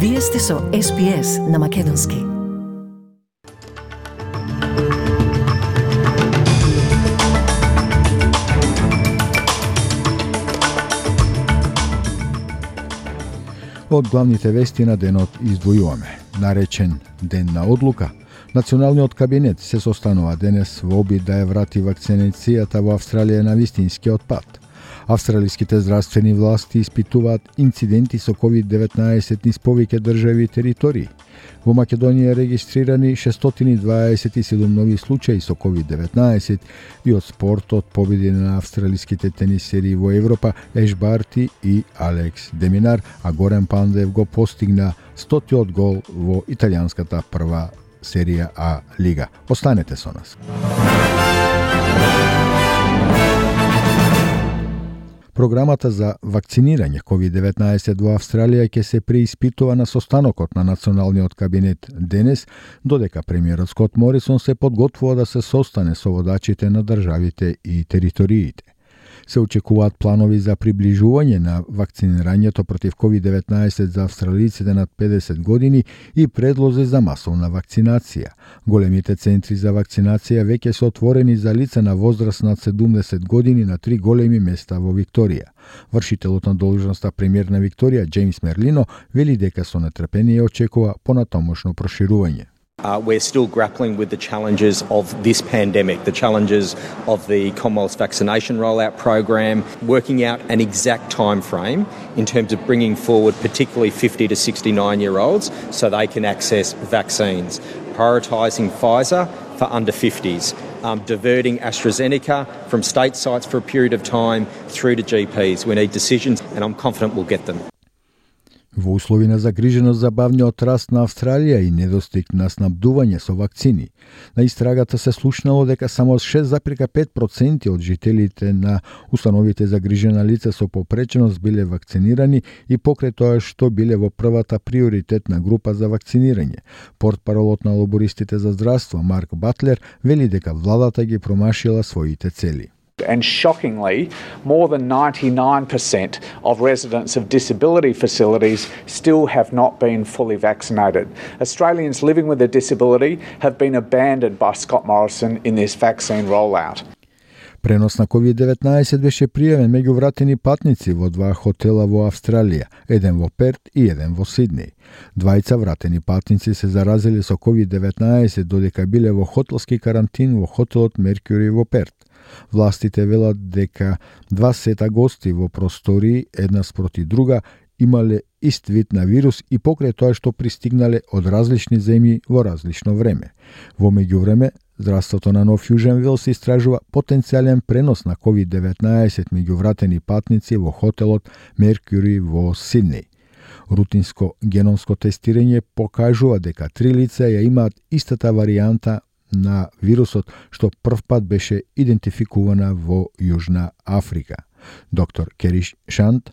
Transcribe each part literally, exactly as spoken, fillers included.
Вие сте со Ес Би Ес на Македонски. Од главните вести на денот издвојуваме. Наречен Ден на одлука, Националниот кабинет се состанува денес во обид да ја врати вакцинацијата во Австралија на вистинскиот пат. Австралиските здравствени власти испитуваат инциденти со ковид деветнаесет низ повеќе држави и територии. Во Македонија регистрирани шестстотини дваесет и седум нови случаи со ковид деветнаесет и од спортот победи на австралиските тенисери во Европа Еш Барти и Алекс Деминар, а Горан Пандев го постигна стотиот гол во италијанската прва серија А лига. Останете со нас. Програмата за вакцинирање ковид деветнаесет во Австралија ќе се преиспитува на состанокот на Националниот кабинет денес, додека премиерот Скот Морисон се подготвува да се состане со водачите на државите и териториите. Се очекуваат планови за приближување на вакцинирањето против ковид деветнаесет за австралиците над педесет години и предлози за масовна вакцинација. Големите центри за вакцинација веќе се отворени за лица на возраст над седумдесет години на три големи места во Викторија. Вршителот на должноста премиер на Викторија, Джеймс Мерлино, вели дека со нетрпение очекува понатомошно проширување. Uh, we're still grappling with the challenges of this pandemic, the challenges of the Commonwealth's vaccination rollout program, working out an exact time frame in terms of bringing forward particularly fifty to sixty-nine year olds so they can access vaccines, prioritising Pfizer for under fifties, um, diverting AstraZeneca from state sites for a period of time through to G Ps. We need decisions and I'm confident we'll get them. Во услови на загриженост за бавниот раст на Австралија и недостиг на снабдување со вакцини, на истрагата се слушнало дека само шест зарез пет проценти од жителите на установите за грижена лица со попреченост биле вакцинирани и покрај тоа што биле во првата приоритетна група за вакцинирање. Портпаролот на лобористите за здравство Марк Батлер вели дека владата ги промашила своите цели. And shockingly, more than ninety-nine percent of residents of disability facilities still have not been fully vaccinated. Australians living with a disability have been abandoned by Scott Morrison in this vaccine rollout. Пренос на ковид деветнаесет беше пријавен меѓу вратени патници во два хотела во Австралија, еден во Перт и еден во Сиднеј. Двајца вратени патници се заразили со ковид деветнаесет додека биле во хотелски карантин во хотелот Меркјури во Перт. Властите велат дека два сета гости во простории една спроти друга имале ист вид на вирус и покрај тоа што пристигнале од различни земји во различно време. Во меѓувреме, здравството на Нов Јужен Велс истражува потенцијален пренос на ковид деветнаесет меѓу вратени патници во хотелот Меркјури во Сиднеј. Рутинско геномско тестирање покажува дека три лица ја имаат истата варијанта на вирусот што првпат беше идентификувана во Јужна Африка. Доктор Кериш Шант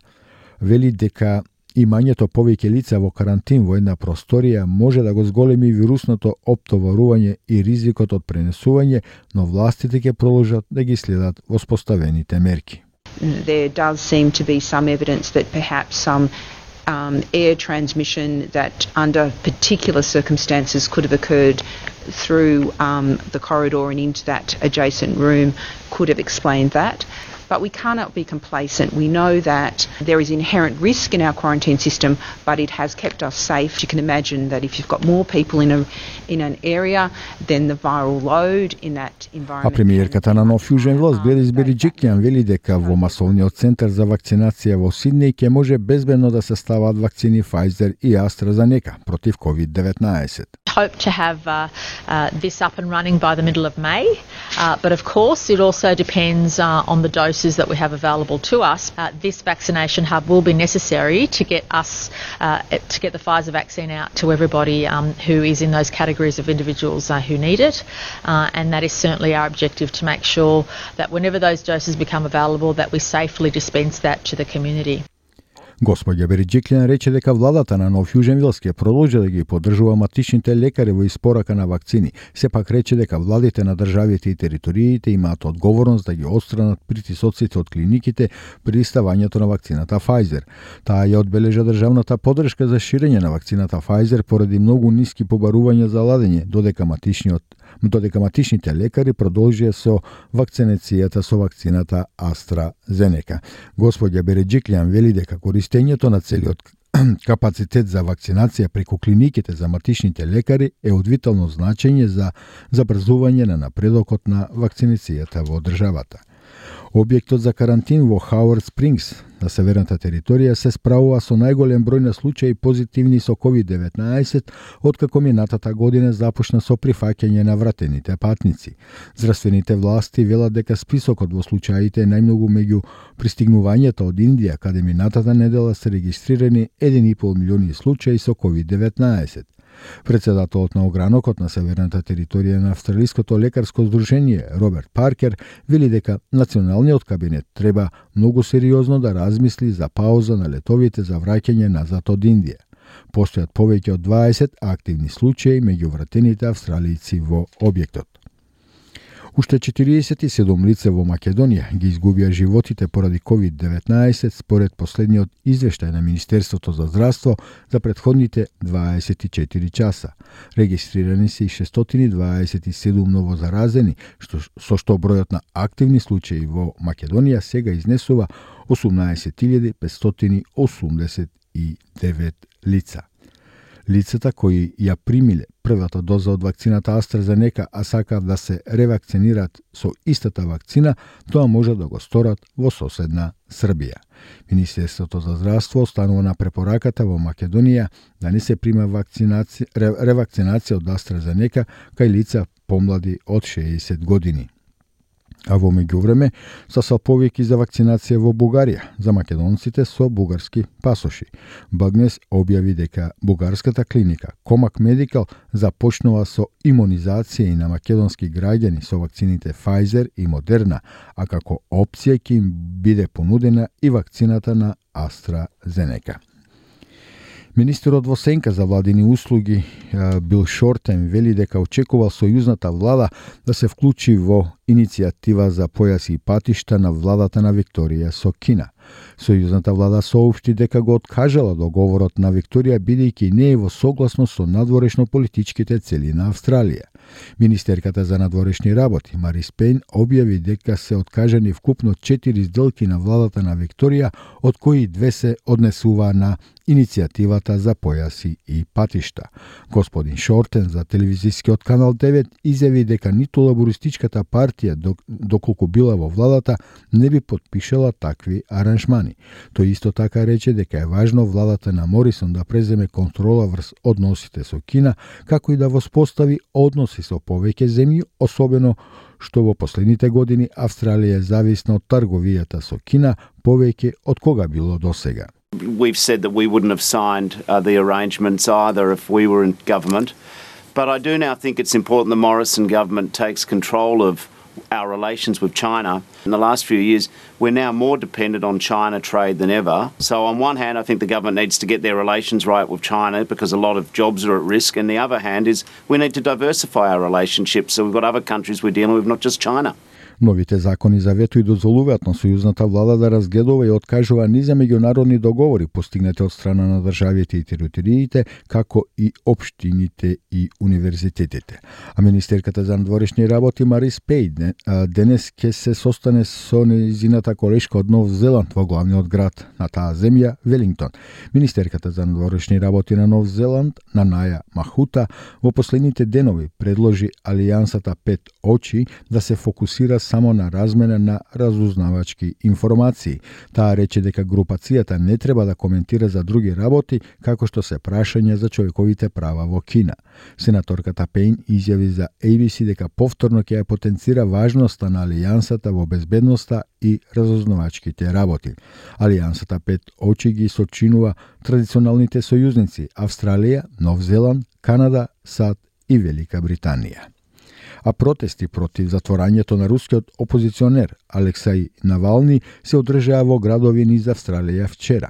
вели дека имањето повеќе лица во карантин во една просторија може да го зголеми вирусното оптоварување и ризикот од пренесување, но властите ќе продолжат да ги следат воспоставените мерки. There does seem to be some evidence that perhaps some Um, air transmission that under particular circumstances could have occurred through um, the corridor and into that adjacent room could have explained that. But we cannot be complacent. We know that there is inherent risk in our quarantine system, but it has kept us safe. You can imagine that if you've got more people in a in an area, then the viral load in that environment. А премиерката на Нов Јужен Велс Гладис Бериџикјан вели дека во масовниот центар за вакцинација во Сиднеј ќе може безбедно да се стават вакцини Pfizer и AstraZeneca против ковид деветнаесет. Hope to have uh, uh, this up and running by the middle of May, uh, but of course it also depends uh, on the doses that we have available to us. Uh, this vaccination hub will be necessary to get us uh, to get the Pfizer vaccine out to everybody um, who is in those categories of individuals uh, who need it, uh, and that is certainly our objective, to make sure that whenever those doses become available that we safely dispense that to the community. Господја Бериџиклиан рече дека владата на Нов Јужен Велс ќе продолжи да ги поддржува матичните лекари во испорака на вакцини. Сепак рече дека владите на државите и териториите имаат одговорност да ги отстранат притисоците од клиниките при ставањето на вакцината Pfizer. Таа ја одбележа државната поддршка за ширење на вакцината Pfizer поради многу ниски побарувања за ладење, додека матичниот додека матичните лекари продолжија со вакцинацијата со вакцината AstraZeneca. Господја Бериџиклиан вели дека користењето на целиот капацитет за вакцинација преку клиниките за матичните лекари е од витално значење за забрзување на напредокот на вакцинацијата во државата. Објектот за карантин во Хауард Спрингс на северната територија се справува со најголем број на случаи позитивни со ковид деветнаесет откако минатата година започна со прифаќање на вратените патници. Здравствените власти велат дека списокот во случаите е најмногу меѓу пристигнувањата од Индија, каде минатата недела се регистрирани еден и пол милиони случаи со ковид деветнаесет. Председателот на огранокот на северната територија на Австралиското лекарско здружение Роберт Паркер вели дека националниот кабинет треба многу сериозно да размисли за пауза на летовите за враќање назад од Индија. Постојат повеќе од дваесет активни случаи меѓу вратените австралијци во објектот. Уште четириесет и седум лице во Македонија ги изгубија животите поради ковид деветнаесет според последниот извештај на Министерството за здравство за претходните дваесет и четири часа. Регистрирани се и шестстотини дваесет и седум новозаразени, што, со што бројот на активни случаи во Македонија сега изнесува осумнаесет илјади петстотини осумдесет и девет лица. Лицата кои ја примиле првата доза од вакцината AstraZeneca, а сакаат да се ревакцинираат со истата вакцина, тоа може да го сторат во соседна Србија. Министерството за здравство останува на препораката во Македонија да не се прима вакцинација, ревакцинација од AstraZeneca кај лица помлади од шеесет години. А во меѓувреме се салповики за вакцинација во Бугарија за македонците со бугарски пасоши. Багнес објави дека бугарската клиника Комак Медикал започнува со имунизација и на македонски граѓани со вакцините Pfizer и Moderna, а како опција ќе им биде понудена и вакцината на AstraZeneca. Министерот во сенка за владини услуги Бил Шортен вели дека очекувал сојузната влада да се вклучи во иницијатива за појаси и патишта на владата на Викторија со Кина. Сојузната влада соопшти дека го откажала договорот на Викторија бидејќи не е во согласно со надворешно политичките цели на Австралија. Министерката за надворешни работи Марис Пейн објави дека се откажани вкупно четири сделки на владата на Викторија, од кои две се однесува на иницијативата за појаси и патишта. Господин Шортен за телевизискиот канал девет изјави дека ниту лабористичката партија, доколку била во владата, не би подпишала такви аранжмани. Тој исто така рече дека е важно владата на Морисон да преземе контрола врз односите со Кина, како и да воспостави односи со повеќе земји, особено што во последните години Австралија е зависна од трговијата со Кина повеќе од кога било досега. We've said that we wouldn't have signed uh, the arrangements either if we were in government. But I do now think it's important the Morrison government takes control of our relations with China. In the last few years, we're now more dependent on China trade than ever. So on one hand, I think the government needs to get their relations right with China because a lot of jobs are at risk. And the other hand is we need to diversify our relationships so we've got other countries we're dealing with, not just China. Новите закони за вето и дозволуваат на сојузната влада да разгледува и откажува низа меѓународни договори постигнати од страна на државите и териториите, како и општините и универзитетите. А министерката за надворешни работи Марис Пейн денес ќе се состане со нејзината колешка од Нов Зеланд во главниот град на таа земја, Велингтон. Министерката за надворешни работи на Нов Зеланд, Нанаја Махута, во последните денови предложи Алијансата Пет очи да се фокусира само на размена на разузнавачки информации. Таа рече дека групацијата не треба да коментира за други работи, како што се прашања за човековите права во Кина. Сенаторката Пейн изјави за А Б С дека повторно ќе ја потенцира важноста на Алијансата во безбедноста и разузнавачките работи. Алијансата Пет очи ги сочинува традиционалните сојузници Австралија, Нов Зеланд, Канада, САД и Велика Британија. А протести против затворањето на рускиот опозиционер Алексеј Навални се одржаа во градови низ Австралија вчера.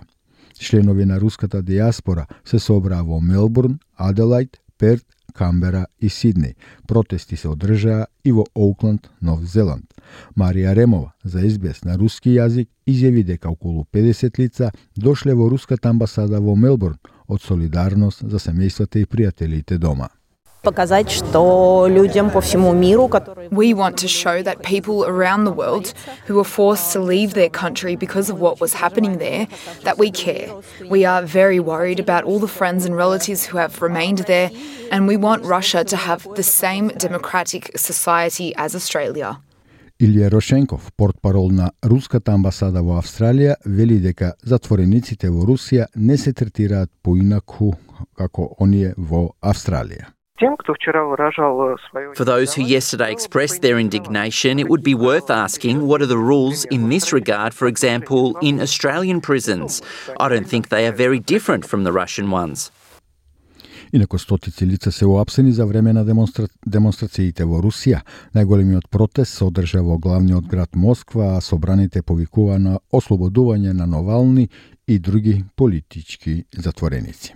Членови на руската диаспора се собраа во Мелбурн, Аделајд, Перт, Камбера и Сиднеј. Протести се одржаа и во Оукланд, Нов Зеланд. Марија Ремова за Ес Би Ес на руски јазик изјави дека околу педесет лица дошле во руската амбасада во Мелбурн од солидарност за семејствата и пријателите дома. Показать, что людям по всему миру, которые... We want to show that people around the world who were forced to leave their country because of what was happening there, that we care. We are very worried about all the friends and relatives who have remained there, and we want Russia to have the same democratic society as Australia. Илија Рошенков, портпарол на руската амбасада во Австралија, вели дека затворениците во Русија не се третираат поинаку како оние во Австралија. For those who yesterday expressed their indignation, it would be worth asking what are the rules in this regard, for example, in Australian prisons. I don't think they are very different from the Russian ones. Инаку стотици лица се уапсени за време на демонстра... демонстрациите во Русија. Најголемиот протест се одржа во главниот град Москва, а собраните повикува на ослободување на Навални и други политички затвореници.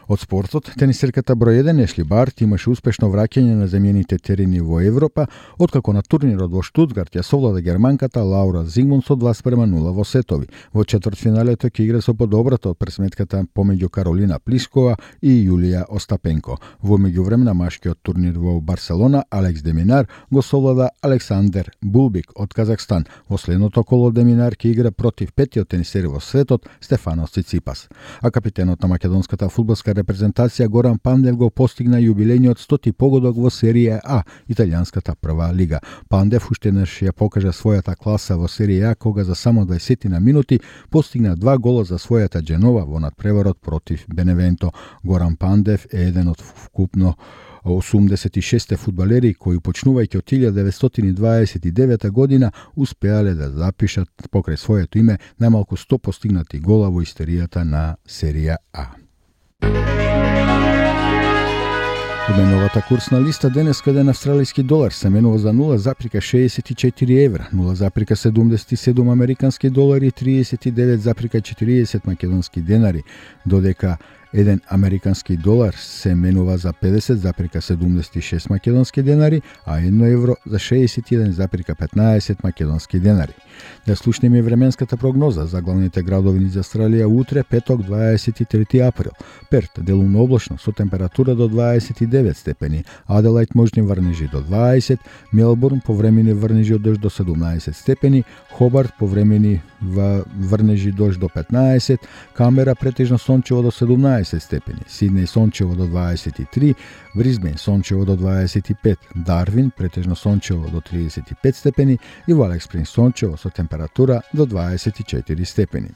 Од спортот, тенисерката број еден Ешли Барт имаше успешно враќање на земјените терени во Европа, откако на турнирот во Штутгарт ја совлада германката Лаура Зигмунд со два спрема нула во сетови. Во четвртфиналето ќе игра со подобрата од пресметката помеѓу Каролина Плискова и Јулија Остапенко. Во меѓувреме на машкиот турнир во Барселона, Алекс Деминар го совлада Александер Булбик од Казахстан. Во следното коло Деминар ќе игра против петиот тенисер во светот Стефанос Циципас. А капитенот на македонската фудбалска репрезентација Горан Пандев го постигна јубилејниот стоти погодок во Серија А, италијанската прва лига. Пандев уште еднаш ја покажа својата класа во Серија А, кога за само дваесет на минути постигна два гола за својата Дженова во надпреварот против Беневенто. Горан Пандев е еден од вкупно осумдесет и шест фудбалери кои почнувајќи од илјада деветстотини дваесет и девета година успеале да запишат покрај своето име најмалку сто постигнати гола во историјата на Серија А. Обменовата курсна листа денес еден австралиски долар се менува за нула запирка шеесет и четири евра, нула запирка седумдесет и седум американски долари и триесет и девет запирка четириесет македонски денари, додека еден американски долар се менува за педесет запирка седумдесет и шест македонски денари, а едно евро за шеесет и еден запирка петнаесет македонски денари. Да слушнеме временската прогноза за главните градови низ Австралија утре, петок, дваесет и трети април. Перт делумно облачно со температура до дваесет и девет степени, Аделајд можни врнежи до дваесет, Мелбурн повремени врнежи од дожд до седумнаесет степени, Хобарт повремени врнежи дожд до петнаесет, Камбера претежно сончево до седумнаесет степени, Сиднеј сончево до дваесет и три, Брисбен сончево до дваесет и пет, Дарвин претежно сончево до триесет и пет степени и во Алекс Спрингс сончево со температура до дваесет и четири степени.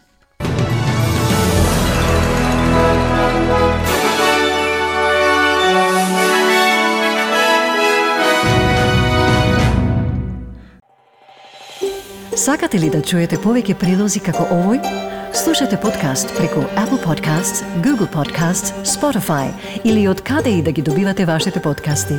Сакате ли да чуете повеќе прилози како овој? Слушате подкаст преку Apple Podcasts, Google Podcasts, Spotify или од каде и да ги добивате вашите подкасти.